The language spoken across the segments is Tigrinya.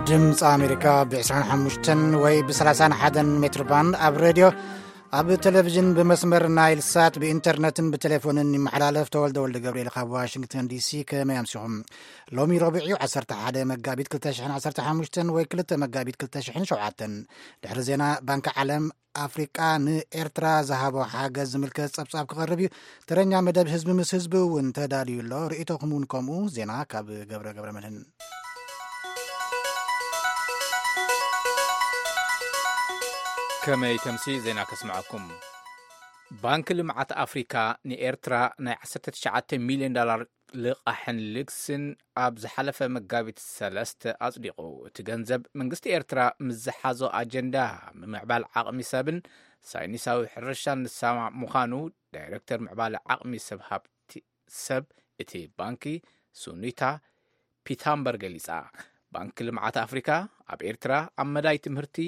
ድምፂ ኣሜሪካ ብ ዕስራን ሓሙሽተን ወይ ብ ሰላሳን ሓደን ሜትር ባንድ ኣብ ሬድዮ፣ ኣብ ቴሌቪዥን ብመስመር ናይል ሳት፣ ብኢንተርነትን ብቴሌፎንን ይመሓላለፍ። ተወልደ ወልደ ገብርኤል ካብ ዋሽንግተን ዲሲ። ከመይ ኣምሲኹም? ሎሚ ረቡዕ እዩ፣ ዓሰርተ ሓደ መጋቢት ክልተ ሽሕን ዓሰርተ ሓሙሽተን ወይ ክልተ መጋቢት ክልተ ሽሕን ሸውዓተን። ድሕሪ ዜና ባንኪ ዓለም ኣፍሪቃ ንኤርትራ ዝሃቦ ሓገዝ ዝምልከት ጸብጻብ ክቐርብ እዩ። ተረኛ መደብ ህዝቢ ምስ ህዝቢ እውን ተዳልዩ ኣሎ። ርእይቶኹም እውን ከምኡ። ዜና ካብ ገብረ ገብረ መድህን። ከመይ ተምሲ ዜና ከስምዐኩም። ባንኪ ልምዓት ኣፍሪካ ንኤርትራ ናይ ዓሰርተ ትሽዓተ ሚልዮን ዶላር ልቓሕን ልግስን ኣብ ዝሓለፈ መጋቢት ሰለስተ ኣጽዲቑ። እቲ ገንዘብ መንግስቲ ኤርትራ ምስ ዝሓዞ ኣጀንዳ ምምዕባል ዓቕሚ ሰብን ሳይንሳዊ ሕርሻን ዝሰማማዕ ምዃኑ ዳይሬክተር ምዕባለ ዓቕሚ ሰብ ሃብቲ ሰብ እቲ ባንኪ ሱኒታ ፒታምበር ገሊጻ። ባንኪ ልምዓት ኣፍሪካ ኣብ ኤርትራ ኣብ መዳይ ትምህርቲ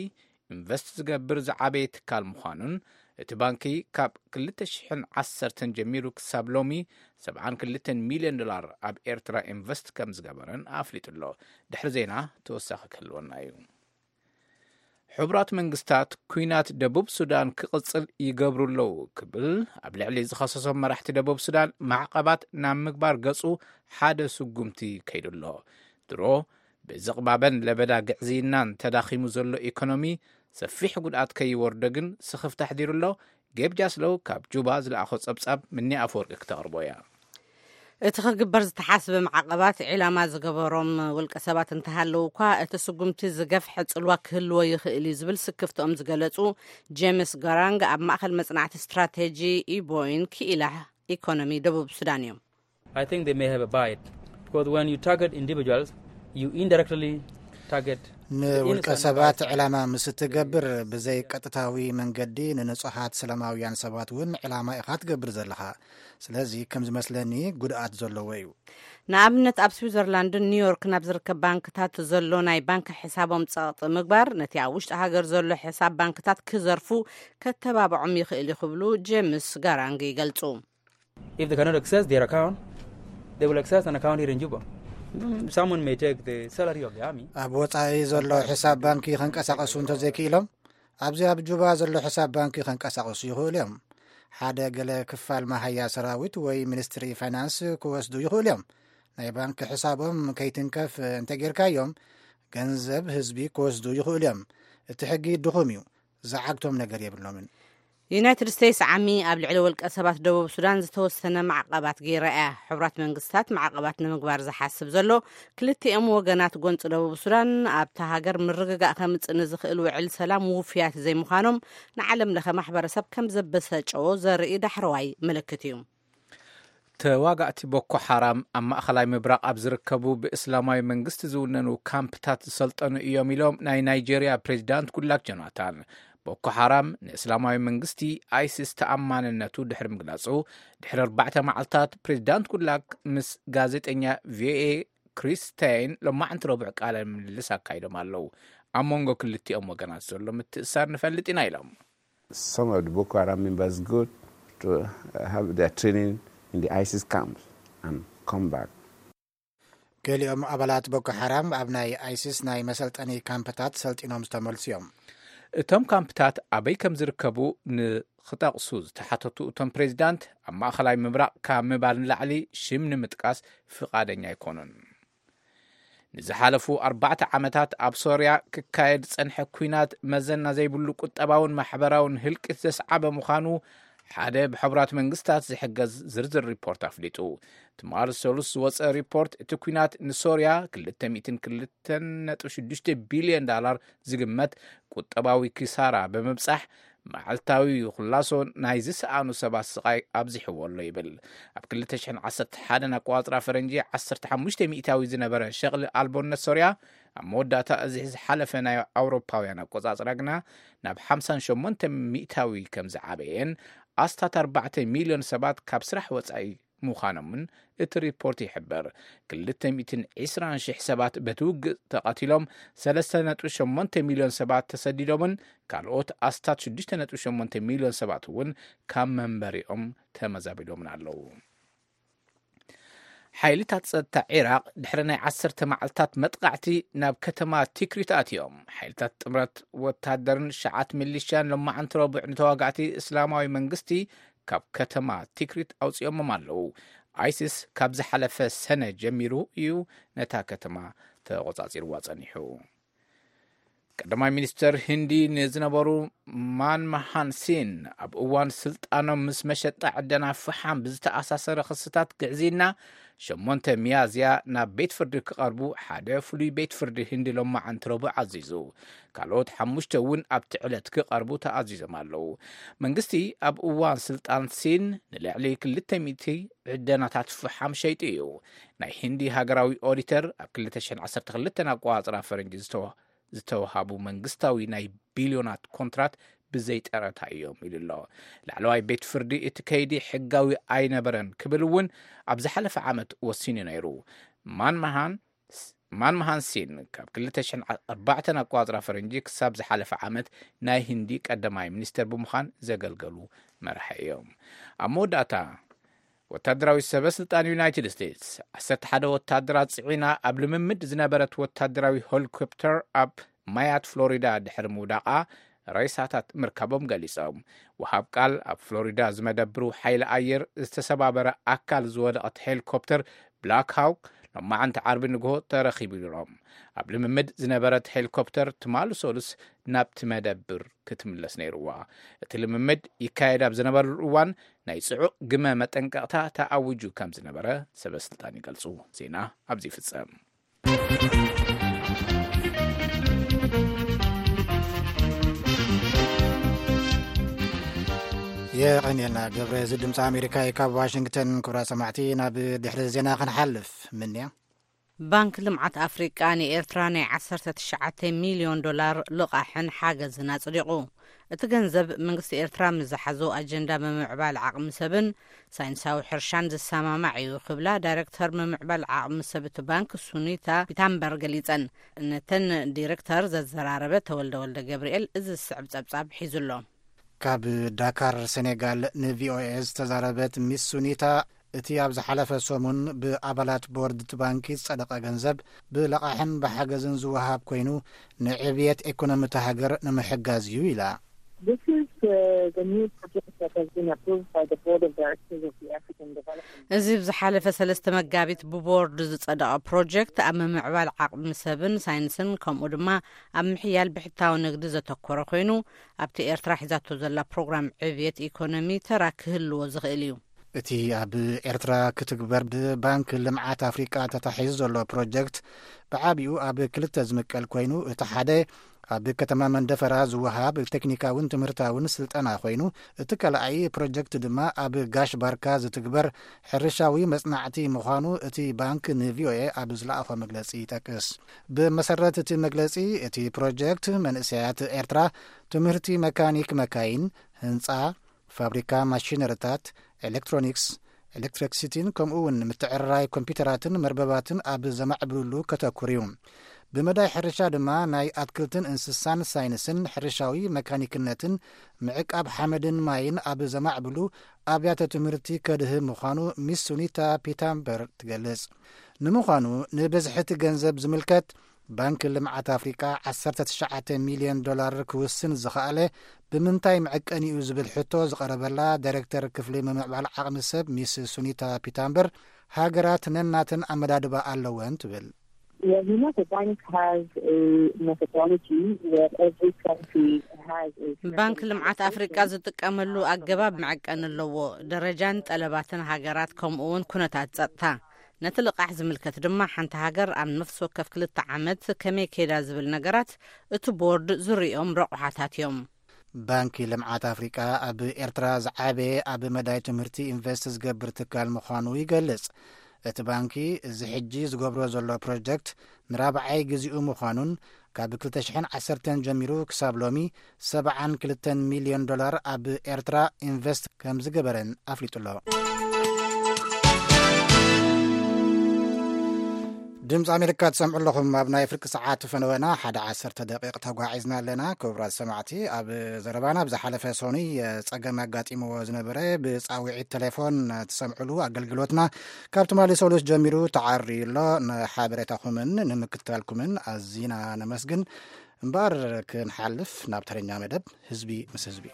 ኢንቨስት ዝገብር ዝዓበየ ትካል ምዃኑን እቲ ባንኪ ካብ ክልተ ሽሕን ዓሰርተን ጀሚሩ ክሳብ ሎሚ ሰብዓን ክልተን ሚልዮን ዶላር ኣብ ኤርትራ ኢንቨስት ከም ዝገበረን ኣፍሊጡ ኣሎ። ድሕሪ ዜና ተወሳኺ ክህልወና እዩ። ሕቡራት መንግስታት ኲናት ደቡብ ሱዳን ክቕጽል ይገብሩ ኣለዉ ክብል ኣብ ልዕሊ ዝኸሰሶም መራሕቲ ደቡብ ሱዳን ማዕቐባት ናብ ምግባር ገጹ ሓደ ስጉምቲ ከይዱ ኣሎ። ድሮ ብዝቕባበን ለበዳ ግዕዝይናን ተዳኺሙ ዘሎ ኢኮኖሚ ሰፊሕ ጉድኣት ከይወርዶ ግን ስኽፍታ ኣሕዲሩ ኣሎ። ጌብ ጃስሎው ካብ ጁባ ዝለኣኾ ጸብጻብ ምኒ ኣፈወርቂ ክተቕርቦ እያ። እቲ ክግበር ዝተሓስበ ማዕቐባት ዒላማ ዝገበሮም ውልቀ ሰባት እንተሃለዉ እኳ፣ እቲ ስጉምቲ ዝገፍሐ ጽልዋ ክህልዎ ይኽእል እዩ ዝብል ስክፍትኦም ዝገለጹ ጄምስ ጋራንግ፣ ኣብ ማእከል መጽናዕቲ ስትራቴጂ ኢቦይን ክኢላ ኢኮኖሚ ደቡብ ሱዳን እዮም። I think they may have a bite, because when you target individuals, you indirectly target ንውልቀ ሰባት ዕላማ ምስ እትገብር፣ ብዘይ ቀጥታዊ መንገዲ ንንጹሃት ሰላማውያን ሰባት እውን ዕላማ ኢኻ ትገብር ዘለኻ። ስለዚ ከም ዝመስለኒ ጉድኣት ዘለዎ እዩ። ንኣብነት ኣብ ስዊዘርላንድን ኒውዮርክን ኣብ ዝርከብ ባንክታት ዘሎ ናይ ባንክ ሕሳቦም ጸቕጢ ምግባር፣ ነቲ ኣብ ውሽጢ ሃገር ዘሎ ሕሳብ ባንክታት ክዘርፉ ከተባብዖም ይኽእል እዩ ክብሉ ጄምስ ጋራንግ ይገልጹ። If they cannot access their account, they will access an account here in Juba. Someone may take the salary of the army. ኣብ ወጻኢ ዘሎ ሕሳብ ባንኪ ከንቀሳቐሱ እንተዘይክኢሎም፣ ኣብዚ ኣብ ጁባ ዘሎ ሕሳብ ባንኪ ከንቀሳቐሱ ይኽእሉ እዮም። ሓደ ገለ ክፋል መሃያ ሰራዊት ወይ ሚኒስትሪ ፋይናንስ ክወስዱ ይኽእሉ እዮም። ናይ ባንክ ሕሳቦም ከይትንከፍ እንተጌርካዮም፣ ገንዘብ ህዝቢ ክወስዱ ይኽእሉ እዮም። እቲ ሕጊ ድኹም እዩ። ዝዓግቶም ነገር የብሎምን። ዩናይትድ ስቴትስ ዓሚ ኣብ ልዕሊ ውልቀ ሰባት ደቡብ ሱዳን ዝተወሰነ ማዕቐባት ገይራ እያ። ሕቡራት መንግስታት ማዕቐባት ንምግባር ዝሓስብ ዘሎ፣ ክልቲኦም ወገናት ጎንፂ ደቡብ ሱዳን ኣብታ ሃገር ምርግጋእ ከምፅእ ንዝኽእል ውዕል ሰላም ውፉያት ዘይምዃኖም ንዓለም ለኸ ማሕበረሰብ ከም ዘበሰጨዎ ዘርኢ ዳሕረዋይ ምልክት እዩ። ተዋጋእቲ ቦኮ ሓራም ኣብ ማእኸላይ ምብራቕ ኣብ ዝርከቡ ብእስላማዊ መንግስቲ ዝውነኑ ካምፕታት ዝሰልጠኑ እዮም ኢሎም ናይ ናይጄርያ ፕሬዚዳንት ጉድላክ ጆናታን። ቦኮ ሓራም ንእስላማዊ መንግስቲ፣ ኣይሲስ፣ ተኣማንነቱ ድሕሪ ምግላጹ፣ ድሕሪ ኣርባዕተ መዓልታት ፕሬዚዳንት ጉድላክ ምስ ጋዜጠኛ ቪኦኤ ክሪስ ስቴይን ሎማዕንቲ ረቡዕ ቃለ ምልልስ ኣካይዶም ኣለዉ። ኣብ መንጎ ክልቲኦም ወገናት ዘሎ ምትእሳር ንፈልጥ ኢና ኢሎም። Some of the Boko Haram members go to have their training in the ISIS camps and come back. ገሊኦም ኣባላት ቦኮ ሓራም ኣብ ናይ ኣይሲስ ናይ መሰልጠኒ ካምፕታት ሰልጢኖም ዝተመልሱ እዮም። እቶም ካምፕታት ኣበይ ከም ዝርከቡ ንክጠቕሱ ዝተሓተቱ እቶም ፕሬዚዳንት፣ ኣብ ማእኸላይ ምብራቕ ካብ ምባል ንላዕሊ ሽም ንምጥቃስ ፍቓደኛ ኣይኮኑን። ንዝሓለፉ ኣርባዕተ ዓመታት ኣብ ሶርያ ክካየድ ዝጸንሐ ኲናት መዘና ዘይብሉ ቁጠባውን ማሕበራውን ህልቂት ዘስዓበ ምዃኑ ሓደ ብሕቡራት መንግስታት ዝሕገዝ ዝርዝር ሪፖርት ኣፍሊጡ። ትማሊ ሰሉስ ዝወጸ ሪፖርት፣ እቲ ኲናት ንሶርያ ክልተ ሚእትን ክልተን ነጥቢ ሽዱሽተ ቢልዮን ዳላር ዝግመት ቁጠባዊ ኪሳራ ብምብጻሕ፣ መዓልታዊ ክላሶ ናይ ዝሰኣኑ ሰባት ስቓይ ኣብዚሕዎ ኣሎ ይብል። ኣብ ክልተ ሽሕን ዓሰርተ ሓደን ኣቆጻጽራ ፈረንጂ ዓሰርተ ሓሙሽተ ሚእታዊ ዝነበረ ሸቕሊ ኣልቦነት ሶርያ፣ ኣብ መወዳእታ እዚ ዝሓለፈ ናይ ኣውሮፓውያን ኣቆጻጽራ ግና ናብ ሓምሳን ሸሞንተ ሚእታዊ ከም ዝዓበየን ኣስታት ኣርባዕተ ሚልዮን ሰባት ካብ ስራሕ ወጻኢ ምዃኖምን እቲ ሪፖርት ይሕብር። ክልተ ሚእትን ዕስራን ሽሕ ሰባት በቲ ውግእ ተቐቲሎም፣ ሰለስተ ነጥቢ ሸሞንተ ሚልዮን ሰባት ተሰዲዶምን ካልኦት ኣስታት ሽዱሽተ ነጥቢ ሸሞንተ ሚልዮን ሰባት እውን ካብ መንበሪኦም ተመዛቢሎምን ኣለዉ። ሓይልታት ጸጥታ ዒራቕ ድሕሪ ናይ ዓሰርተ መዓልታት መጥቓዕቲ ናብ ከተማ ቲክሪት ኣትዮም። ሓይልታት ጥምረት ወታደርን ሸዓት ሚሊሽያን ሎማዓንቲ ረቡዕ ንተዋጋእቲ እስላማዊ መንግስቲ ካብ ከተማ ቲክሪት ኣውጺኦሞም ኣለዉ። ኣይሲስ ካብ ዝሓለፈ ሰነ ጀሚሩ እዩ ነታ ከተማ ተቖጻጺርዋ ጸኒሑ። ቀዳማይ ሚኒስተር ህንዲ ንዝነበሩ ማንማሃን ሲን ኣብ እዋን ስልጣኖም ምስ መሸጣ ዕደና ፈሓም ብዝተኣሳሰረ ክስታት ግዕዝይና ሸሞንተ ሚያዝያ ናብ ቤት ፍርዲ ክቐርቡ ሓደ ፍሉይ ቤት ፍርዲ ህንዲ ሎማዓንቲ ረቡዕ ኣዚዙ። ካልኦት ሓሙሽተ እውን ኣብቲ ዕለት ክቐርቡ ተኣዚዞም ኣለዉ። መንግስቲ ኣብ እዋን ስልጣን ሲን ንልዕሊ ክልተ ሚእቲ ዕደናታት ፈሓም ሸይጡ እዩ። ናይ ህንዲ ሃገራዊ ኦዲተር ኣብ ክልተ ሽሕን ዓሰርተ ክልተን ኣቆጻጽራ ፈረንጂ ዝተወ ዝተወሃቡ መንግስታዊ ናይ ቢልዮናት ኮንትራት ብዘይጠረታ እዮም ኢሉ ኣሎ። ላዕለዋይ ቤት ፍርዲ እቲ ከይዲ ሕጋዊ ኣይነበረን ክብል እውን ኣብ ዝሓለፈ ዓመት ወሲኑ ነይሩ። ማንማሃን ማንማሃን ሲን ካብ ክልተ ሽሕን ኣርባዕተን ኣቆጻጽራ ፈረንጂ ክሳብ ዝሓለፈ ዓመት ናይ ህንዲ ቀዳማይ ሚኒስተር ብምዃን ዘገልገሉ መራሒ እዮም። ኣብ መወዳእታ ወታደራዊ ሰበ ስልጣን ዩናይትድ ስቴትስ ዓሰርተ ሓደ ወታደራት ጽዒና ኣብ ልምምድ ዝነበረት ወታደራዊ ሄሊኮፕተር ኣብ ማያት ፍሎሪዳ ድሕሪ ምውዳቓ ሬሳታት ምርካቦም ገሊጾም። ወሃብ ቃል ኣብ ፍሎሪዳ ዝመደብሩ ሓይሊ ኣየር ዝተሰባበረ ኣካል ዝወደቐት ሄሊኮፕተር ብላክ ሃውክ ሎማዓንቲ ዓርቢ ንግሆ ተረኺቡ ኢሎም። ኣብ ልምምድ ዝነበረት ሄሊኮፕተር ትማሊ ሰሉስ ናብቲ መደብር ክትምለስ ነይርዋ። እቲ ልምምድ ይካየድ ኣብ ዝነበረሉ እዋን ናይ ጽዑቕ ግመ መጠንቀቕታ ተኣዊጁ ከም ዝነበረ ሰበ ስልጣን ይገልጹ። ዜና ኣብዚ ይፍጸም። የቐንየልና ገብረ። እዚ ድምፂ ኣሜሪካ እዩ ካብ ዋሽንግተን። ክቡራት ሰማዕቲ፣ ናብ ድሕሪ ዜና ክንሓልፍ ምንያ። ባንክ ልምዓት ኣፍሪቃ ንኤርትራ ናይ ዓሰርተ ትሽዓተ ሚልዮን ዶላር ልቓሕን ሓገዝን ኣጽዲቑ። እቲ ገንዘብ መንግስቲ ኤርትራ ምስ ዝሓዞ ኣጀንዳ ምምዕባል ዓቕሚ ሰብን ሳይንሳዊ ሕርሻን ዝሰማማዕ እዩ ክብላ ዳይሬክተር ምምዕባል ዓቕሚ ሰብ እቲ ባንክ ሱኒታ ፒታምበር ገሊጸን። ነተን ዲሬክተር ዘዘራረበ ተወልደ ወልደ ገብርኤል እዚ ዝስዕብ ጸብጻብ ሒዙ ኣሎ። ካብ ዳካር ሴኔጋል ንቪኦኤ ዝተዛረበት ሚስ ሱኒታ፣ እቲ ኣብ ዝሓለፈ ሰሙን ብኣባላት ቦርድ እቲ ባንኪ ዝጸደቐ ገንዘብ ብለቓሕን ብሓገዝን ዝወሃብ ኮይኑ፣ ንዕብየት ኢኮኖሚ እታ ሃገር ንምሕጋዝ እዩ ኢላ። This is uh, the new project that has been approved by the Board of Directors of the African Development. እዚ ብዝሓለፈ ሰለስተ መጋቢት ብቦርድ ዝጸደቐ ፕሮጀክት ኣብ ምምዕባል ዓቕሚ ሰብን ሳይንስን ከምኡ ድማ ኣብ ምሕያል ብሕታዊ ንግዲ ዘተኮረ ኮይኑ፣ ኣብቲ ኤርትራ ሒዛቶ ዘላ ፕሮግራም ዕብየት ኢኮኖሚ ተራ ክህልዎ ዝኽእል እዩ። እቲ ኣብ ኤርትራ ክትግበር ብባንክ ልምዓት ኣፍሪቃ ተታሒዙ ዘሎ ፕሮጀክት ብዓቢኡ ኣብ ክልተ ዝምቀል ኮይኑ፣ እቲ ሓደ ኣብ ከተማ መንደፈራ ዝወሃብ ቴክኒካውን ትምህርታውን ስልጠና ኮይኑ፣ እቲ ካልኣይ ፕሮጀክት ድማ ኣብ ጋሽ ባርካ ዝትግበር ሕርሻዊ መጽናዕቲ ምዃኑ እቲ ባንክ ንቪኦኤ ኣብ ዝለኣኾ መግለጺ ይጠቅስ። ብመሰረት እቲ መግለጺ፣ እቲ ፕሮጀክት መንእሰያት ኤርትራ ትምህርቲ መካኒክ መካይን፣ ህንጻ፣ ፋብሪካ ማሽነሪታት፣ ኤሌክትሮኒክስ፣ ኤሌክትሪክሲቲን ከምኡ እውን ምትዕርራይ ኮምፒውተራትን መርበባትን ኣብ ዘማዕብሉሉ ከተኩር እዩ። ብመዳይ ሕርሻ ድማ ናይ ኣትክልትን እንስሳን ሳይንስን ሕርሻዊ መካኒክነትን ምዕቃብ ሓመድን ማይን ኣብ ዘማዕብሉ ኣብያተ ትምህርቲ ከድህብ ምዃኑ ሚስ ሱኒታ ፒታምበር ትገልጽ። ንምዃኑ ንብዝሒ እቲ ገንዘብ ዝምልከት፣ ባንክ ልምዓት ኣፍሪቃ ዓሰርተ ትሽዓተ ሚልዮን ዶላር ክውስን ዝኸኣለ ብምንታይ መዐቀኒኡ ዝብል ሕቶ ዝቐረበላ ዳይሬክተር ክፍሊ ምምዕባል ዓቕሚ ሰብ ሚስ ሱኒታ ፒታምበር፣ ሃገራት ነናተን ኣመዳድባ ኣለወን ትብል። Well, you know, the bank has a methodology where every country has a bankን ልምዓት ኣፍሪቃ ዝጥቀመሉ ኣገባብ መዐቀኒ ኣለዎ። ደረጃን ጠለባትን ሃገራት ከምኡ እውን ኩነታት ጸጥታ። ነቲ ልቓሕ ዝምልከት ድማ ሓንቲ ሃገር ኣብ ነፍሲ ወከፍ ክልተ ዓመት ከመይ ከይዳ ዝብል ነገራት እቲ ቦርድ ዝርእዮም ረቑሓታት እዮም። ባንኪ ልምዓት ኣፍሪቃ ኣብ ኤርትራ ዝዓበየ ኣብ መዳይ ትምህርቲ ኢንቨስት ዝገብር ትካል ምዃኑ ይገልጽ። እቲ ባንኪ እዚ ሕጂ ዝገብሮ ዘሎ ፕሮጀክት ንራብዓይ ግዜኡ ምዃኑን ካብ ክልተ ሽሕን ዓሰርተን ጀሚሩ ክሳብ ሎሚ ሰብዓን ክልተን ሚልዮን ዶላር ኣብ ኤርትራ ኢንቨስት ከም ዝገበረን ኣፍሊጡ ኣሎ። ድምፂ ኣሜሪካ ትሰምዑ ኣለኹም። ኣብ ናይ ፍርቂ ሰዓት ፈነወና ሓደ ዓሰርተ ደቂቕ ተጓዒዝና ኣለና። ክቡራት ሰማዕቲ፣ ኣብ ዘረባና ብዝሓለፈ ሰኑይ ጸገም ኣጋጢምዎ ዝነበረ ብጻውዒት ቴሌፎን ትሰምዑሉ ኣገልግሎትና ካብ ትማሊ ሰሉስ ጀሚሩ ተዓርዩ ኣሎ። ንሓበሬታኹምን ንምክትታልኩምን ኣዚና ነመስግን። እምበኣር ክንሓልፍ ናብ ተረኛ መደብ ህዝቢ ምስ ህዝቢ።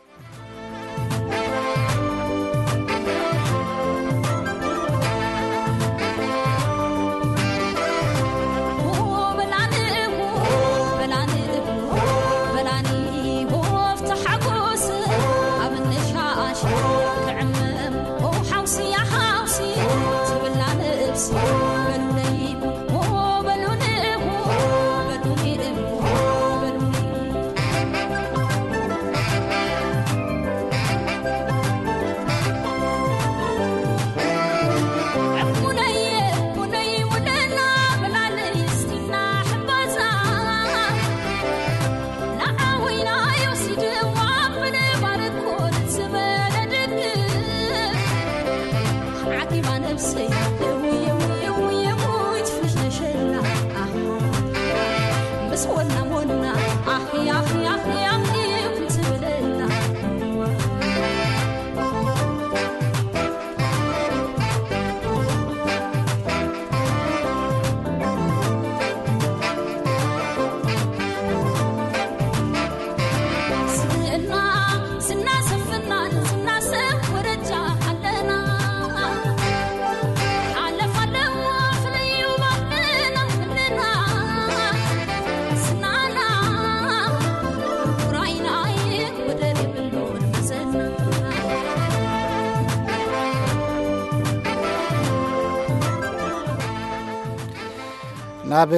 ናብ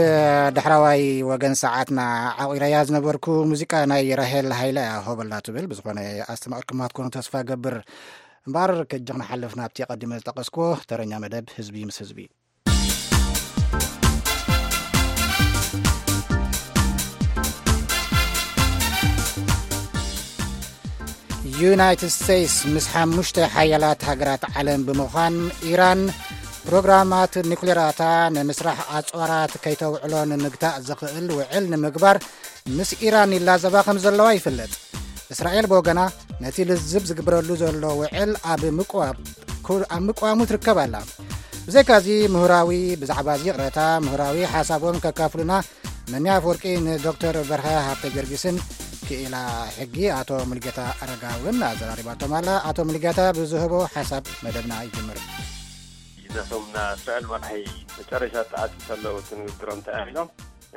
ዳሕራዋይ ወገን ሰዓትና ዓቒረያ ዝነበርኩ ሙዚቃ ናይ ራሄል ሃይለ እያ ሆበላ ትብል። ብዝኾነ ኣስተማቒርኩማ ክትኮኑ ተስፋ ገብር። እምበኣር ከጂ ክንሓልፍ ናብቲ ቀዲመ ዝጠቐስኩዎ ተረኛ መደብ ህዝቢ ምስ ህዝቢ። ዩናይትድ ስቴትስ ምስ ሓሙሽተ ሓያላት ሃገራት ዓለም ብምዃን ኢራን ፕሮግራማት ኒኩሌራታ ንምስራሕ ኣጽዋራት ከይተውዕሎ ንምግታእ ዘኽእል ውዕል ንምግባር ምስ ኢራን ይላዘባ ከም ዘለዋ ይፍለጥ። እስራኤል ብወገና ነቲ ልዝብ ዝግበረሉ ዘሎ ውዕል ኣብ ምቅዋብ-፣ ኩ-፣ ኣብ ምቅዋሙ ትርከብ ኣላ። ብዘይካዚ ምሁራዊ፣ ብዛዕባ እዚ ይቕረታ ምሁራዊ ሓሳቦም ከካፍሉና መኒ ኣፈወርቂ ንዶክተር በርሀ ሃብተ ጊዮርጊስን ክኢላ ሕጊ ኣቶ ሙልጌታ ኣረጋውን ኣዘራሪባቶም ኣላ። ኣቶ ሙልጌታ ብዝህቦ ሓሳብ መደብና ይጅምር። ነቶም ናይ እስራኤል መራሒ መጨረሻ ተዓፂ ከለዉ እቲ ንግግሮም እንታይ ኢሎም?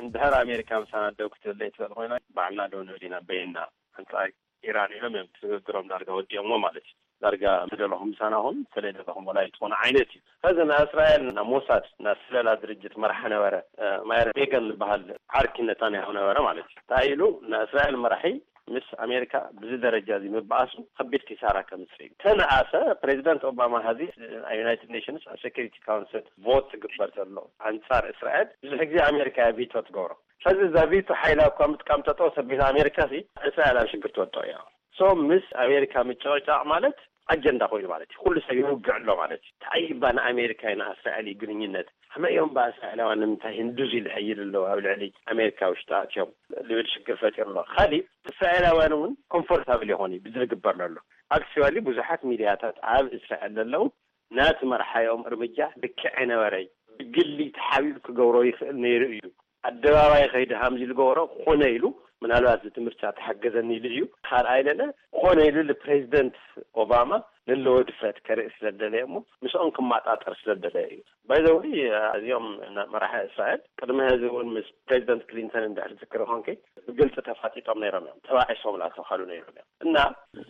እንድሕር ኣሜሪካ ምሳና ደው ክትብል ዘይትኽእል ኮይና ባዕልና ደው ንብል ኢና በይንና ኣንፃር ኢራን ኢሎም እዮም እቲ ንግግሮም ዳርጋ ወዲኦሞ ማለት እዩ። ዳርጋ ዝደለኹም ምሳና ኹን፣ ስለደለኹም ወላ ይትኾነ ዓይነት እዩ። ከዚ ናይ እስራኤል ናይ ሞሳድ ናይ ስለላ ድርጅት መራሒ ነበረ፣ እ፣ ማየር ቤገን ዝበሃል ዓርኪ ነታንያሁ ነበረ ማለት እዩ። እንታይ ኢሉ? ናይ እስራኤል መራሒ ምስ ኣሜሪካ ብዚ ደረጃ እዚ ምበኣሱ ከቢድ ኪሳራ ከምፅእ እዩ። ተነኣሰ ፕሬዚደንት ኦባማ ሀዚ ኣብ ዩናይትድ ኔሽንስ ኣብ ሴኩሪቲ ካውንስል ቮት ትግበር ዘሎ ኣንፃር እስራኤል ብዙሕ ግዜ ኣሜሪካ እያ ቪቶ ትገብሮ። ሕዚ እዛ ቪቶ ሓይላ እኳ ምጥቃም ጠጠው ተቢላ ኣሜሪካ ሲ እስራኤል ኣብ ሽግር ትወድቕ እያ። ሶ ምስ ኣሜሪካ ምጭቕጫቕ ማለት ኣጀንዳ ኮይኑ ማለት እዩ። ኩሉ ሰብ ይውግዕ ኣሎ ማለት እዩ። እንታይ እባ ንኣሜሪካ እዩ ንእስራኤል እዩ ግንኙነት? ከመይ እዮም እባ እስራኤላውያን ንምንታይ ህንዱዝ ኢሉ ይሕይል ኣለዉ ኣብ ልዕሊ ኣሜሪካ ውሽጢ ኣትዮም ዝብል ሽግር ፈጢሩ ኣሎ። ካሊእ እስራኤላውያን እውን ኮምፎርታብል ይኾኑ እዩ ብዝግበር ዘሎ። ኣክቹዋሊ ብዙሓት ሚድያታት ኣብ እስራኤል ዘለዉ ናቲ መርሓዮም እርምጃ ልክዕ ኣይነበረይ፣ ብግሊ ተሓቢኡ ክገብሮ ይኽእል ነይሩ እዩ፣ ኣደባባይ ከይዲ ሃምዚ ዝገበሮ ኮነ ኢሉ፣ ምናልባት እዚ ትምህርቲ ተሓገዘኒ ኢሉ እዩ። ካልኣይ ለለ ኮነ ኢሉ ንፕሬዚደንት ኦባማ ለለዎ ድፍረት ከርኢ ስለደለየ እሞ ምስኦም ክመጣጠር ስለደለየ እዩ። ባይዘወይ እዚኦም መራሒ እስራኤል ቅድሚ ሕዚ እውን ምስ ፕሬዚደንት ክሊንተን እንድሕር ዝክር ኾንከ ብግልፂ ተፋጢጦም ነይሮም እዮም፣ ተባዒሶም ላተኻሉ ነይሮም እዮም። እና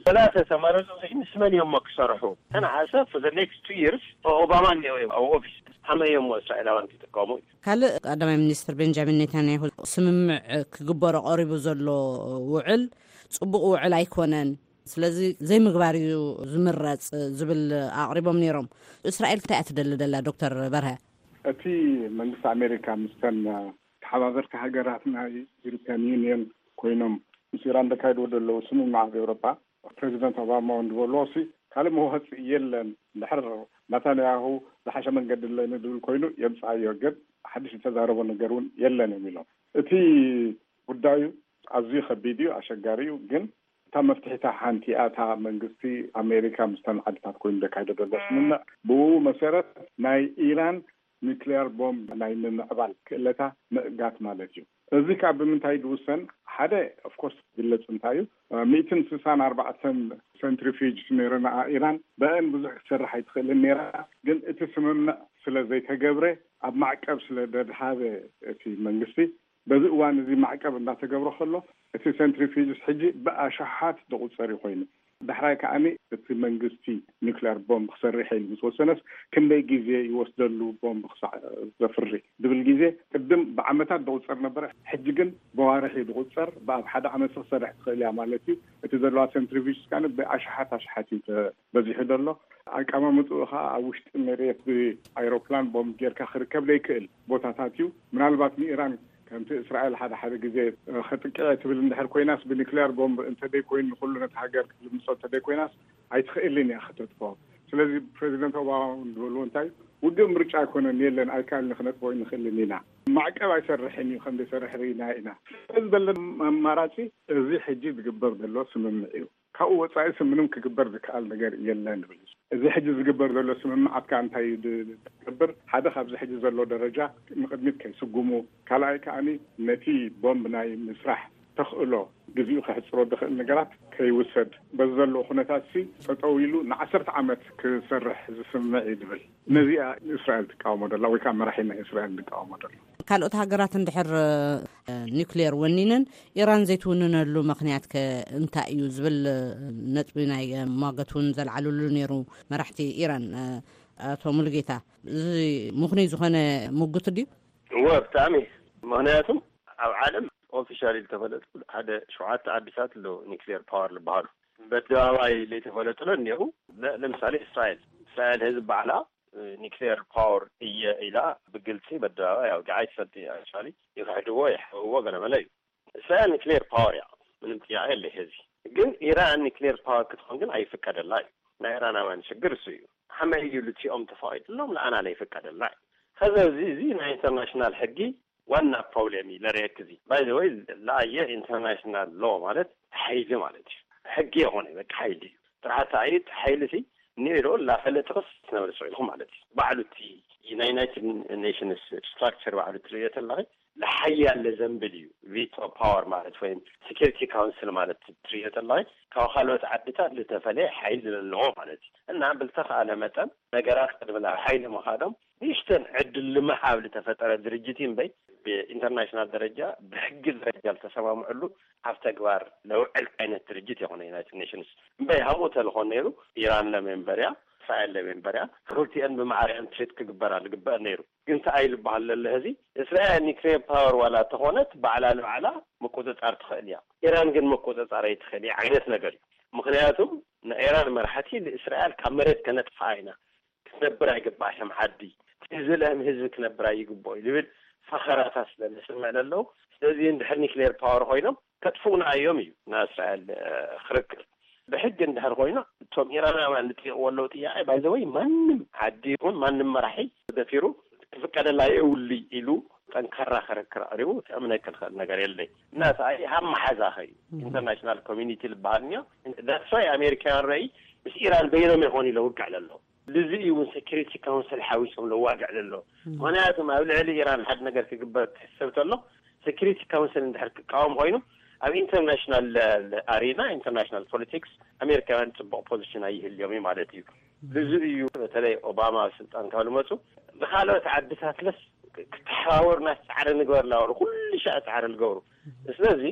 ሰላተ ተመረፁ ምስ መን እዮም ክሰርሑ? ተነኣሰ for the next two years ኦባማ እኒኦ እዮም ኣብ ኦፊስ። ከመይ እዮም እስራኤላውያን ክጥቀሙ? ካልእ ቀዳማይ ሚኒስትር ቤንጃሚን ኔታንያሁ ስምምዕ ክግበሮ ቀሪቡ ዘሎ ውዕል ጽቡቕ ውዕል ኣይኮነን፣ ስለዚ ዘይምግባር እዩ ዝምረጽ ዝብል ኣቕሪቦም ነይሮም። እስራኤል እንታይ እያ ትደሊ ደላ ዶክተር በርሀ? እቲ መንግስቲ ኣሜሪካ ምስተን ተሓባበርቲ ሃገራት ናይ ዩሮፒያን ዩኒየን ኮይኖም ምስ ኢራን ዘካይድዎ ዘለዉ ስምምዕ ኣብ ኤውሮጳ ፕሬዚደንት ኦባማ እውን ዝበልዎ ሲ ካልእ መዋፅኢ የለን። እንድሕር ናታንያሁ ዝሓሸ መንገዲ ኣለኒ ዝብል ኮይኑ የምፅኣዮ። ግን ሓድሽ ዝተዛረቦ ነገር እውን የለን እዮም ኢሎም። እቲ ጉዳዩ ኣዝዩ ከቢድ እዩ፣ ኣሸጋሪ እዩ። ግን እታ መፍትሒታ ሓንቲ እያ። እታ መንግስቲ ኣሜሪካ ምስተን ዓድታት ኮይኑ ዘካይዶ ዘሎ ስምምዕ፣ ብኡ መሰረት ናይ ኢራን ኒክሌር ቦምብ ናይ ምምዕባል ክእለታ ምእጋት ማለት እዩ። እዚ ካብ ብምንታይ ዝውሰን? ሓደ ኦፍኮርስ ግለጽ እንታይ እዩ፣ ሚእትን ስሳን ኣርባዕተን ሴንትሪፊጅ ነይረና ኢራን፣ በአን ብዙሕ ክትሰርሕ ኣይትኽእልን ነይራ። ግን እቲ ስምምዕ ስለ ዘይተገብረ፣ ኣብ ማዕቀብ ስለ ደድሃበ እቲ መንግስቲ፣ በዚ እዋን እዚ ማዕቀብ እናተገብረ ከሎ፣ እቲ ሴንትሪፊጅስ ሕጂ ብኣሽሓት ዝቑጸር እዩ ኮይኑ። ዳሕራይ ከዓኒ እቲ መንግስቲ ኒክሌር ቦምብ ክሰርሕ ኢሉ ምስ ወሰነስ፣ ክንደይ ግዜ ይወስደሉ ቦምብ ክሳዕ ዘፍሪ ዝብል ግዜ? ቅድም ብዓመታት ዝቑጸር ነበረ። ሕጂ ግን ብዋርሒ ዝቑጸር፣ ብኣብ ሓደ ዓመት ክሰርሕ ትኽእል እያ ማለት እዩ። እቲ ዘለዋ ሴንትሪፊጅስ ከዓኒ ብኣሽሓት ኣሽሓት እዩ ተበዚሑ ዘሎ። ኣቀማምጥኡ ከዓ ኣብ ውሽጢ መሬት ብኣይሮፕላን ቦምብ ጌርካ ክርከብ ዘይክእል ቦታታት እዩ። ምናልባት ንኢራን ከምቲ እስራኤል ሓደ ሓደ ግዜ ከጥቅዐ ትብል እንድሕር ኮይናስ፣ ብኒክሌር ቦምብ እንተደይ ኮይኑ ንኩሉ ነቲ ሃገር ክትልምሶ እንተደይ ኮይናስ፣ ኣይትኽእልን እያ ከተጥፍኦ። ስለዚ ፕሬዚደንት ኦባማ እውን ዝበልዎ እንታይ፣ ውግእ ምርጫ ኣይኮነን፣ የለን፣ ኣይከኣልን፣ ክነጥፍኦ ኣይንኽእልን ኢና። ማዕቀብ ኣይሰርሕን እዩ፣ ከም ዘይሰርሕ ርኢና ኢና። ስለዚ ዘለን ኣማራጺ እዚ ሕጂ ዝግበር ዘሎ ስምምዕ እዩ። ካብኡ ወጻኢ ምንም ክግበር ዝከኣል ነገር የለን ንብል። እዚ ሕጂ ዝግበር ዘሎ ስምምዓት ከኣ እንታይ እዩ ድ-፣ ዝገብር? ሓደ ካብዚ ሕጂ ዘሎ ደረጃ ንቕድሚት ከይስጉሙ፣ ካልኣይ ከኣኒ ነቲ ቦምብ ናይ ምስራሕ ተኽእሎ ግዜኡ ከሕጽሮ ዝኽእል ነገራት ከይውሰድ፣ በዚ ዘለዎ ኩነታት ሲ ጠጠው ኢሉ ንዓሰርተ ዓመት ክሰርሕ ዝስምዕ እዩ ዝብል። ነዚኣ እስራኤል ትቃወሞ ደላ ወይ ከዓ መራሒ ናይ እስራኤል ዝቃወሞ ደሎ። ካልኦት ሃገራት እንድሕር ኒክሌር ወኒነን ኢራን ዘይትውንነሉ ምኽንያት ከ እንታይ እዩ ዝብል ነጥቢ ናይ ሟገት እውን ዘልዓልሉ ነይሩ መራሕቲ ኢራን። ኣቶ ሙሉጌታ፣ እዚ ምኽኑይ ዝኾነ ምጉት ድዩ? እወ፣ ብጣዕሚ። ምኽንያቱም ኣብ ዓለም ኦፊሻሊ ዝተፈለጡ ሓደ ሸውዓተ ዓድታት ኣለዉ ኒክሌር ፓወር ዝበሃሉ። በኣደባባይ ዘይተፈለጡለ እኒአው። ለ-፣ ለምሳሌ እስራኤል። እስራኤል ህዝብ ባዕላ ኒክሌር ፓወር እየ ኢላ ብግልፂ በደባባይ ኣውጊዓ ኣይትፈልጥ። ኣክቹዋሊ ይኽሕድዎ፣ ይሕብዎ፣ ገለመለ እዩ። እስራኤል ኒክሌር ፓወር እያ፣ ምንም ጥያቄ የለ። ህዚ ግን ኢራን ኒክሌር ፓወር ክትኾን ግን ኣይፍቀደላ እዩ። ናይ ኢራናውያን ሽግር እሱ እዩ። ሓመይ እዩ ልትኦም ተፋቂድሎም ለኣና ለይፍቀደላ እዩ። ከዚ እዚ፣ እዚ ናይ ኢንተርናሽናል ሕጊ ዋና ፕሮብሌም እዩ ለረየክ። እዚ ባይ ዘ ወይ ለኣየ ኢንተርናሽናል ሎ ማለት ሓይሊ ማለት እዩ። ሕጊ የኾነ በቃ ሓይሊ እዩ። ጥራሕታ እዩ ሓይሊ ሲ ኒሮ ላፈለጥኽስ ትነብር ስዒልኹም ማለት እዩ። ባዕሉ እቲ ናይ ዩናይትድ ኔሽንስ ስትራክቸር ባዕሉ ትርእዮ ተለኺ፣ ለሓያል ለዘንብል እዩ። ቪቶ ፓወር ማለት ወይም ሴኪሪቲ ካውንስል ማለት ትርእዮ ተለኺ፣ ካብ ካልኦት ዓድታት ዝተፈለየ ሓይሊ ዘለዎ ማለት እዩ። እና ብልተኻእለ መጠን ነገራት ቅድሚ ናብ ሓይሊ ምኻዶም ንእሽተን ዕድል ንምሃብ ዝተፈጠረ ድርጅት እዩ እምበይ፣ ብኢንተርናሽናል ደረጃ ብሕጊ ደረጃ ዝተሰማምዕሉ ኣብ ተግባር ለውዕል ዓይነት ድርጅት የኾነ ዩናይትድ ኔሽንስ። እምበይ ሃምኡ ተልኾን ነይሩ፣ ኢራን ለሜምበርያ፣ እስራኤል ለሜምበርያ፣ ክልቲአን ብማዕሪአን ትሪት ክግበራ ዝግበአን ነይሩ። ግን ተኣይ ዝበሃል ለለ ህዚ እስራኤል ኒክሌር ፓወር ዋላ ተኾነት ባዕላ ንባዕላ ምቁፅፃር ትኽእል እያ። ኢራን ግን ምቁፅፃር ኣይትኽእል እያ ዓይነት ነገር እዩ። ምኽንያቱም ናይ ኢራን መራሕቲ ንእስራኤል ካብ መሬት ከነጥፍኣ ኢና፣ ክትነብር ኣይግባእሽም ዓዲ፣ እቲ ዝልእም ህዝቢ ክነብር ኣይግብኦ እዩ ዝብል ፈኸራታት ስለ ንስምዕ ለለዉ። ስለዚ እንድሕር ኒክሌር ፓወር ኮይኖም ከጥፍኡና እዮም እዩ ናይ እስራኤል፣ እ፣ ክርክር። ብሕጊ እንድሕር ኮይኑ እቶም ኢራናውያን ዝጥይቕዎ ኣለዉ ጥያቄ ባይዘወይ ማንም ዓዲ ይኹን ማንም መራሒ ደፊሩ ክፍቀደላ የውሊ ኢሉ ጠንካራ ክርክር ኣቕሪቡ ክእምነክ ዝኽእል ነገር የለይ። እና ሰኣይ ሃብ መሓዛ ኸዩ ኢንተርናሽናል ኮሚኒቲ ዝበሃል እኒኦ። ዳትስ ዋይ ኣሜሪካውያን ረኢ ምስ ኢራን በይኖም ይኾኑ ኢለ ውግዕ ለሎ። ልዚ እዩ እውን ሴኪሪቲ ካውንስል ሓዊሶም ለዋግዕ ለሎ። ምኽንያቱም ኣብ ልዕሊ ኢራን ሓደ ነገር ክግበር ክሕሰብ ተሎ ሴኪሪቲ ካውንስል እንድሕር ክቃወም ኮይኑ ኣብ ኢንተርናሽናል ኣሬና ኢንተርናሽናል ፖለቲክስ ኣሜሪካውያን ፅቡቕ ፖዚሽን ኣይህልዮም እዩ ማለት እዩ። ልዚ እዩ በተለይ ኦባማ ኣብ ስልጣን ካብ ልመፁ ንካልኦት ዓድታት ለስ ክተሓባበሩና ፃዕሪ ንግበር ላበሉ ኩሉ ሻዕ ፃዕሪ ዝገብሩ። ስለዚ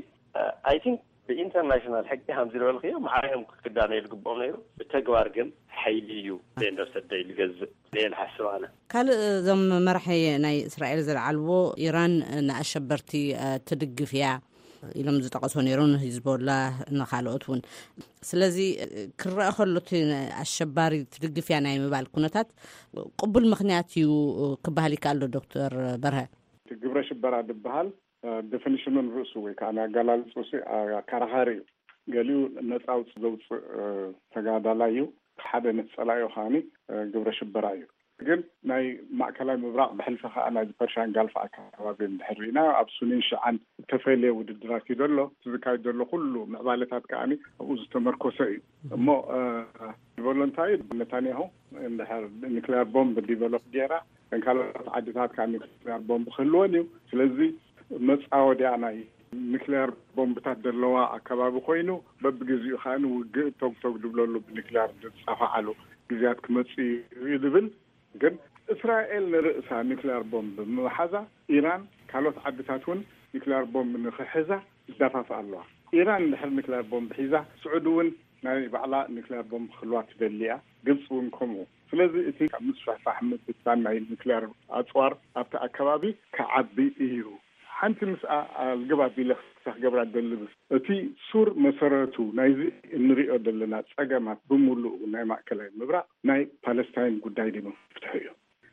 ኣይ ቲንክ ብኢንተርናሽናል ሕጊ ከምዚ ዝበልክዮ ማዕሪኦም ክዳነዩ ዝግብኦም ነይሩ። ብተግባር ግን ሓይሊ እዩ ቤንደር ሰደይ ዝገዝእ ኢለ ዝሓስብ ኣነ። ካልእ እዞም መራሒ ናይ እስራኤል ዘልዓልዎ ኢራን ንኣሸበርቲ፣ እ፣ ትድግፍ እያ ኢሎም ዝጠቐሶ ነይሩ፣ ንሂዝቦላ ንካልኦት እውን። ስለዚ ክረአ ከሎ እቲ ኣሸባሪ ትድግፍ እያ ናይ ምባል ኩነታት ቅቡል ምኽንያት እዩ ክበሃል ይከኣል ዶ ዶክተር በርሀ? እቲ ግብረ ሽበራ ዝበሃል እ፣ ዴፊኒሽኑን ርእሱ ወይ ከዓ ናይ ኣገላልጽኡ ሲ፣ እ፣ ኣከራኻሪ እዩ። ገሊኡ ነጻ ኣውጽ-፣ ዘውጽእ፣ እ፣ ተጋዳላይ እዩ። ሓደ ነቲ ጸላኢኡ ከዓኒ፣ እ፣ ግብረ ሽበራ እዩ። ግን ናይ ማእከላይ ምብራቕ ብሕልፊ ከኣ ናይዚ ፐርሻን ጋልፍ ኣከባቢ እንድሕር ርኢና ኣብ ሱኒን ሽዓን እተፈልየ ውድድራት እዩ ዘሎ። እቲ ዝካየድ ዘሎ ኩሉ ምዕባለታት ከኣ ኣብኡ ዝተመርኮሰ እዩ። እሞ እ፣ ቮሎንታሪ ነታንያሁ እንድሕር ኒክሌር ቦምብ ዲቨሎፕ ገይራ፣ እተን ካልኦት ዓድታት ከዓ ኒክሌር ቦምብ ክህልወን እዩ። ስለዚ መፃወድያ ናይ ኒክሌር ቦምብታት ዘለዋ ኣከባቢ ኮይኑ፣ በብግዜኡ ከዓ ውግእ ቶግ ቶግ ድብለሉ፣ ብኒክሌር ዝፃፋዓሉ ግዜያት ክመፅእ እዩ ዝብል። ግን እስራኤል ንርእሳ ኒክሌር ቦምብ ብምሓዛ፣ ኢራን ካልኦት ዓድታት እውን ኒክሌር ቦምብ ንክሕዛ ይዳፋፍኣ ኣለዋ። ኢራን እንድሕር ኒክሌር ቦምብ ሒዛ፣ ስዑዲ እውን ናይ ባዕላ ኒክሌር ቦምብ ክህልዋ ትደሊ እያ። ግብፂ እውን ከምኡ። ስለዚ እቲ ካብ ምስፍሕፋሕ ምብትታን ናይ ኒክሌር ኣፅዋር ኣብቲ ኣከባቢ ክዓቢ እዩ። ሓንቲ ምስኣ ኣልግብ ኣቢለ ክሳ ክገብራ ደሊ። እቲ ሱር መሰረቱ ናይዚ እንሪኦ ዘለና ፀገማት ብምሉኡ ናይ ማእከላይ ምብራቕ ናይ ፓለስታይን ጉዳይ ድማ ፍትሑ እዩ።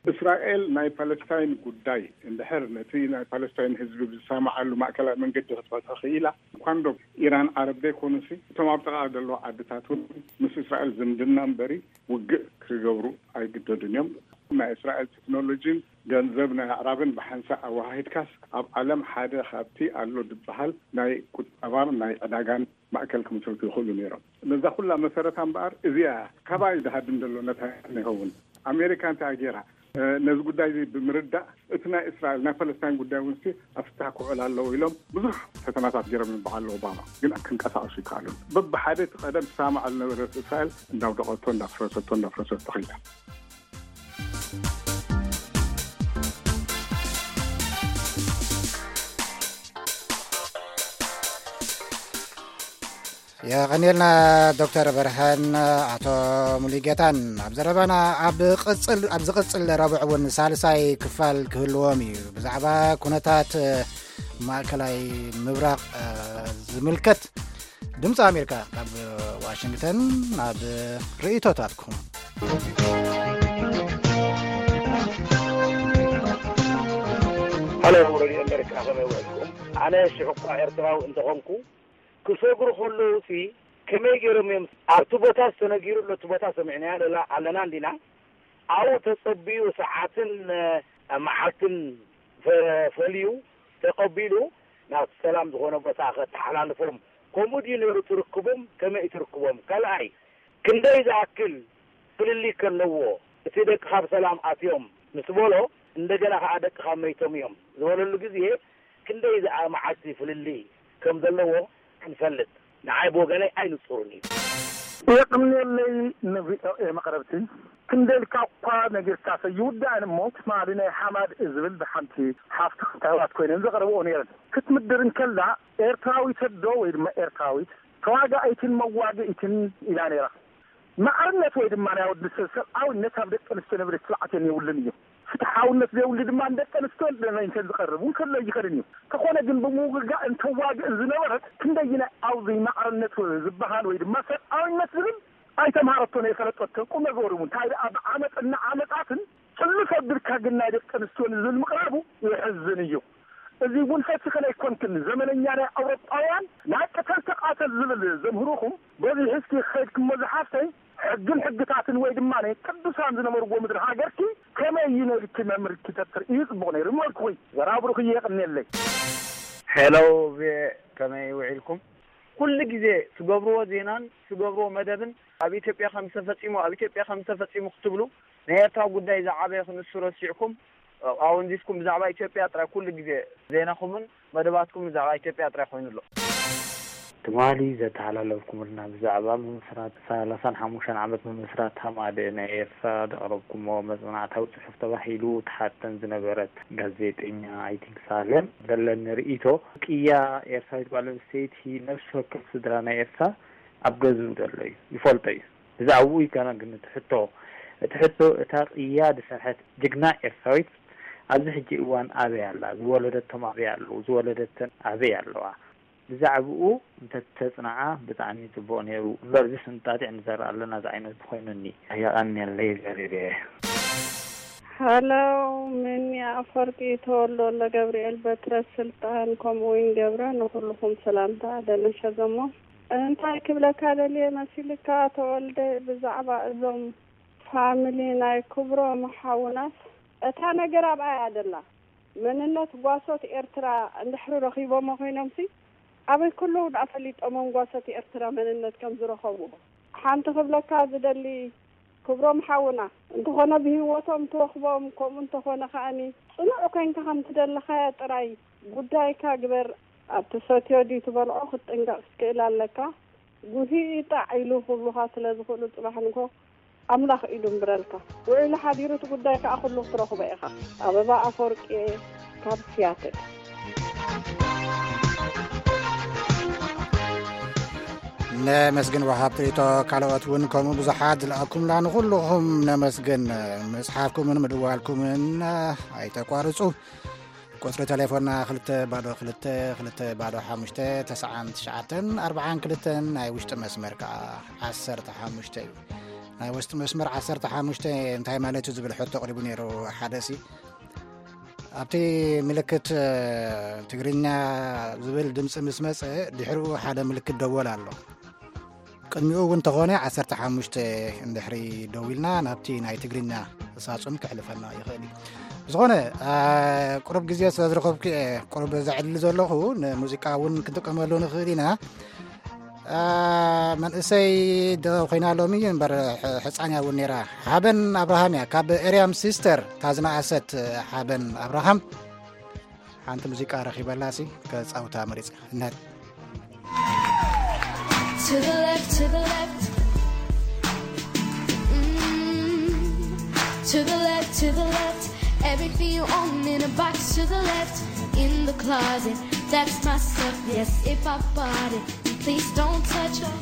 እስራኤል ናይ ፓለስታይን ጉዳይ እንድሕር ነቲ ናይ ፓለስታይን ህዝቢ ብዝሰማዓሉ ማእከላይ መንገዲ ክትፈትሖ ክኢላ፣ ኳንዶ ኢራን ዓረብ ዘይኮኑሲ እቶም ኣብ ጥቓ ዘለዉ ዓድታት እውን ምስ እስራኤል ዝምድና እምበሪ ውግእ ክገብሩ ኣይግደዱን እዮም። ናይ እስራኤል ቴክኖሎጂን ገንዘብ ናይ ኣዕራብን ብሓንሳእ ኣወሃሂድካስ ኣብ ዓለም ሓደ ካብቲ ኣሎ ዝበሃል ናይ ቁጠባን ናይ ዕዳጋን ማእከል ክምስርቱ ይኽእሉ ነይሮም። ነዛ ኩላ መሰረታ እምበኣር እዚኣ ካባይ ዝሃድም ዘሎ ነታ ይኸውን። ኣሜሪካ እንታይ ገይራ? እ፣ ነዚ ጉዳይ እዚ ብምርዳእ እቲ ናይ እስራኤል ናይ ፓለስታይን ጉዳይ እውን ሲ ኣብ ፍታህ ክውዕል ኣለዎ ኢሎም ብዙሕ ፈተናታት ገይሮም ይበዓሉ ኦባማ፣ ግን ክንቀሳቀሱ ይከኣሉ። በብሓደ እቲ ቀደም ትሰማማዕ ዝነበረት እስራኤል እንዳውደቐቶ እንዳፍረሰቶ እንዳፍረሰቶ ከይዳ። የቐንየልና ዶክተር በርሀን ኣቶ ሙሉጌታን። ኣብ ዘረባና ኣብ ቅጽል ኣብ ዝቕጽል ረቡዕ እውን ሳልሳይ ክፋል ክህልዎም እዩ። ብዛዕባ ኩነታት ማእከላይ ምብራቕ ዝምልከት ድምፂ ኣሜሪካ ካብ ዋሽንግተን ናብ ርእይቶታትኩም። ሃሎ፣ ረድዮ ኣሜሪካ፣ ከመይ ውዒልኩም? ኣነ ሽዑ እኳ ኤርትራዊ እንተኾንኩ፣ ክሰግሩ ከለዉ ሲ ከመይ ገይሮም እዮም ኣብቲ ቦታ ዝተነጊሩ ኣሎ፣ እቲ ቦታ ሰሚዕናዮ ኣለና እንዲና? ኣብኡ ተጸብዩ ሰዓትን መዓልትን ፈልዩ ተቐቢሉ ናብቲ ሰላም ዝኾነ ቦታ ከተሓላልፎም፣ ከምኡ ድዩ ነይሩ ትርክቦም? ከመይ ትርክቦም? ካልኣይ፣ ክንደይ ዝኣክል ፍልልይ ከለዎ፣ እቲ ደቅኻ ብሰላም ኣትዮም ምስ በሎ፣ እንደገና ኸዓ ደቅኻ መይቶም እዮም ዝበለሉ ግዜ፣ ክንደይ ዝኣ መዓልቲ ፍልልይ ከም ዘለዎ ክንፈልጥ ንዓይ ብወገነይ ኣይንጹርን እዩ። የቕንየለይ ንቪኦኤ መቕረብቲ። ክንደይ ኢልካ እኳ ነጊርካሰ ይውዳእን እሞ ትማሊ ናይ ሓማድ ዝብል ብሓንቲ ሓፍቲ ክታባት ኮይነን ዘቕርብኦ ነይረን። ክትምድር እንከላ ኤርትራዊት ዶ ወይ ድማ ኤርትራዊት ተዋጋኢትን መዋግኢትን ኢላ ነይራ። ማዕርነት ወይ ድማ ናይ ወዲ ሰብ ሰብኣውነት ኣብ ደቂ ኣንስትዮ ንብረት ስርዓት የብሉን እዩ። ፍትሓውነት ዘይብሉ ድማ ንደቂ ኣንስትዮ ለመንተን ዝቐርብ እውን ክህሎ ይኽእልን እዩ። ተኾነ ግን ብምውግጋእን ተዋግእን ዝነበረት ክንደይናይ ኣብዚ ማዕርነት ዝበሃል ወይ ድማ ሰብኣውነት ዝብል ኣይተምሃረቶን ኣይፈለጠቶን። ቁም ነገሩ እውን እንታይ ደኣ ብዓመፅን ዓመፃትን ሕልፍ ኣቢልካ ግን ናይ ደቂ ኣንስትዮ ንዝብል ምቕራቡ የሕዝን እዩ። እዚ እውን ፈቲኽን ኣይኮንክን። ዘመነኛ ናይ ኣውሮጳውያን ናይ ቅተል ተቓተል ዝብል ዘምህሩኹም በዚሑ እስኪ ከይድክሞ ዝሓፍተይ ሕግን ሕግታትን ወይ ድማ ናይ ቅዱሳን ዝነበርዎ ምድሪ ሃገርኪ ከመይ እዩ ነልኪ መምርኪ ተትርእዩ ጽቡቕ ነይሩ ምበልኩኺ። ዘራብሩኺ የቕንየለይ። ሄሎ ቪኦኤ ከመይ ውዒልኩም? ኩሉ ግዜ ትገብርዎ ዜናን ትገብርዎ መደብን ኣብ ኢትዮጵያ ከም ዝተፈጺሙ ኣብ ኢትዮጵያ ከም ዝተፈጺሙ ክትብሉ ናይ ኤርትራ ጉዳይ ዝዓበየ ክንሱ ረሲዕኩም ኣወንዚፍኩም ብዛዕባ ኢትዮጵያ ጥራይ ኩሉ ግዜ ዜናኹምን መደባትኩም ብዛዕባ ኢትዮጵያ ጥራይ ኮይኑ ኣሎ። ትማሊ ዘተሓላለፍኩምልና ብዛዕባ ምምስራት ሰላሳን ሓሙሽተን ዓመት ምምስራት ሃማደኤ ናይ ኤርትራ ዘቕረብኩሞ መጽናዕታዊ ጽሑፍ ተባሂሉ ትሓተን ዝነበረት ጋዜጠኛ ኣይቲንክ ሳሌም ዘለኒ ርእይቶ ቅያ ኤርትራዊት ጓል ኣንስተይቲ ነፍሲ ወከፍ ስድራ ናይ ኤርትራ ኣብ ገዝኡ ዘሎ እዩ ይፈልጦ እዩ። ብዛዕባኡ ይከና ግን እቲ ሕቶ እቲ ሕቶ እታ ቅያ ዝሰርሐት ጅግና ኤርትራዊት ኣብዚ ሕጂ እዋን ኣበይ ኣላ? ዝወለደቶም ኣበይ ኣለዉ? ዝወለደተን ኣበይ ኣለዋ? ብዛዕባኡ እንተተጽናዓ ብጣዕሚ ጽቡቕ ነይሩ። እምበር እዚ ስንጣጢዕ ንዘርእ ኣለና ዝዓይነቱ ኮይኑኒ። የቐንየለይ ዘሪበየ። ሃሎ፣ ምኒ ኣፈወርቂ ተወልዶ ወልደ ገብርኤል በትረ ስልጣን ከምኡ እውን ገብረ ንኹልኹም ሰላምታ ደነሸ ዘሞ። እንታይ ክብለካ ደልየ መሲልካ ተወልደ ብዛዕባ እዞም ፋሚሊ ናይ ክብሮም ሓውናስ እታ ነገር ኣብኣ እያ ደላ። መንነት ጓሶት ኤርትራ እንድሕሪ ረኺቦሞ ኮይኖምሲ ኣበይ ከለዉ ደኣ ፈሊጦሞም ጓሶት ኤርትራ መንነት ከም ዝረኸብዎ? ሓንቲ ክብለካ ዝደሊ ክብሮም ሓውና፣ እንተኾነ ብህይወቶም ትረኽቦም፣ ከምኡ እንተኾነ ከኣኒ ጽኑዕ ኮይንካ ከም ትደለኻያ ጥራይ ጉዳይካ ግበር። ኣብ ትሰትዮ ድዩ ትበልዖ ክትጥንቀቕ ክትክእል ኣለካ። ጉሂ ጣዕ ኢሉ ክብሉኻ ስለ ዝኽእሉ ጽባሕ ንግሆ ኣምላኽ ኢዱ እምብረልካ። ውዒሉ ሓዲሩ እቲ ጉዳይ ከኣ ኩሉ ክትረኽቦ ኢኻ። ኣበባ ኣፈወርቂ ካብ ሲያትል። ነመስግን ወሃብቲ ርእይቶ። ካልኦት እውን ከምኡ ብዙሓት ዝለኣኩምላ ንኹልኹም ነመስግን። ምጽሓፍኩምን ምድዋልኩምን ኣይተቋርጹ። ቁጽሪ ቴሌፎንና ክልተ ባዶ ክልተ ክልተ ባዶ ሓሙሽተ ተስዓን ትሽዓተን ኣርባዓን ክልተን፣ ናይ ውሽጢ መስመር ከኣ ዓሰርተ ሓሙሽተ እዩ። ናይ ውሽጢ መስመር ዓሰርተ ሓሙሽተ እንታይ ማለት እዩ ዝብል ሕቶ ኣቕሪቡ ነይሩ ሓደ ሲ። ኣብቲ ምልክት ትግርኛ ዝብል ድምፂ ምስ መፀ ድሕሪኡ ሓደ ምልክት ደወል ኣሎ። ቅድሚኡ እውን እንተኾነ ዓሰርተ ሓሙሽተ እንድሕሪ ደዊልና ናብቲ ናይ ትግርኛ ሳጹን ክሕልፈና ይኽእል እዩ። ብዝኾነ ቁሩብ ግዜ ስለ ዝረኸብኩ እየ ቁሩብ ዘዕሊ ዘለኹ። ንሙዚቃ እውን ክንጥቀመሉ ንኽእል ኢና። መንእሰይ ዶ ኮይና ሎሚ እምበር ሕፃን እያ እውን ነይራ። ሓበን ኣብርሃም እያ ካብ ኤርያም ሲስተር ታዝናኣሰት። ሓበን ኣብርሃም ሓንቲ ሙዚቃ ረኺበላሲ ከጻውታ መሪጽ እነት። To the left, to the left. Mm. To the left, to the left. Everything you own in a box to the left. In the closet, that's my stuff. Yes, if I bought it, please don't touch it.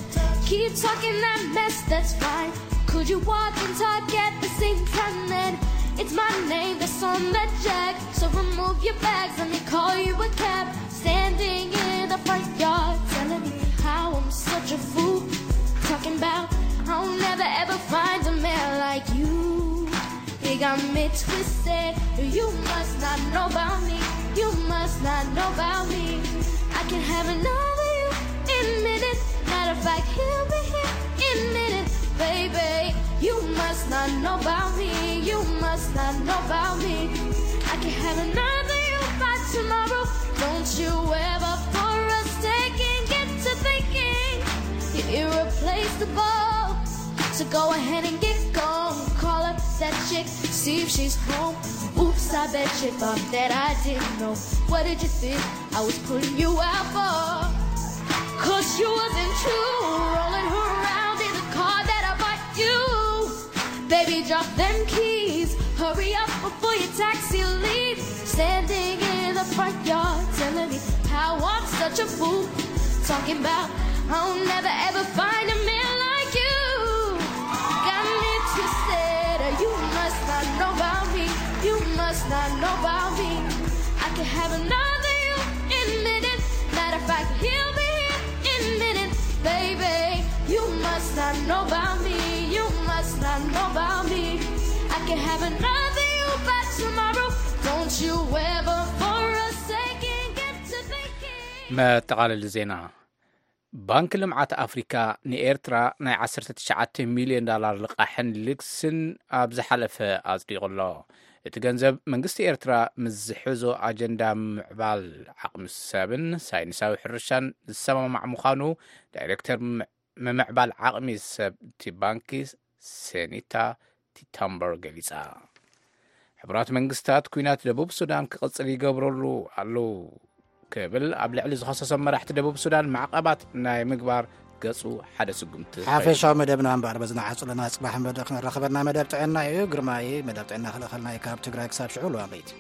Keep talking that mess, that's fine. Could you walk and talk at the same time? Then it's my name that's on the jack. So remove your bags, let me call you a cab. Standing in the front yard, telling me how I'm such a fool. Talking about I'll never ever find a man like you. It got me twisted. You must not know about me. You must not know about me. I can have another you in minutes. Matter of fact, he'll be here in minutes, baby. You must not know about me. You must not know about me. I can have another you by tomorrow. Don't you ever for a second get to thinking you're irreplaceable. So go ahead and get gone. Call up that chick, see if she's home. Oops, I bet you thought that I didn't know. What did you think I was putting you out for? Cause you wasn't true. Rolling her around in the car that I bought you. Baby, drop them keys. Hurry up before your taxi leaves. Standing in the front yard, telling me how I'm such a fool. Talking about I'll never ever find a man like you. Got me twisted. You must not know about me. You must not know about me. I can have another you in minutes. Matter of fact, he'll be here in minutes, baby. You must not know about me. You must not know about me. I can have another you by tomorrow. Don't you ever for a second get to thinking. መጠቓለሊ ዜና። ባንኪ ልምዓት ኣፍሪካ ንኤርትራ ናይ ዓሰርተ ትሽዓተ ሚልዮን ዳላር ልቓሕን ልግስን ኣብ ዝሓለፈ ኣጽዲቑ ኣሎ። እቲ ገንዘብ መንግስቲ ኤርትራ ምስ ዝሕዞ ኣጀንዳ ምምዕባል ዓቕሚ ሰብን ሳይንሳዊ ሕርሻን ዝሰማማዕ ምዃኑ ዳይሬክተር ምምዕባል ዓቕሚ ሰብ እቲ ባንኪ ሰኒታ ቲታምበር ገሊጻ። ሕቡራት መንግስታት ኲናት ደቡብ ሱዳን ክቕጽል ይገብረሉ ኣለዉ ክብል ኣብ ልዕሊ ዝኸሰሶም መራሕቲ ደቡብ ሱዳን ማዕቐባት ናይ ምግባር ገጹ ሓደ ስጉምቲ። ሓፈሻዊ መደብና እምበኣር በዚ ንዓጹ ኣለና። ጽባሕ ክንረኸበና መደብ ጥዕና እዩ። ግርማይ መደብ ጥዕና ክልእኸልና እዩ። ካብ ትግራይ ክሳብ ሽዑ ለዋመይቲ።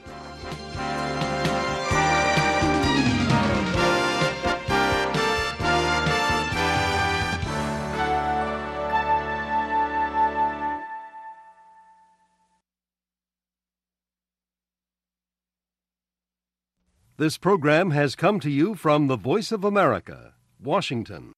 This program has come to you from the Voice of America, Washington.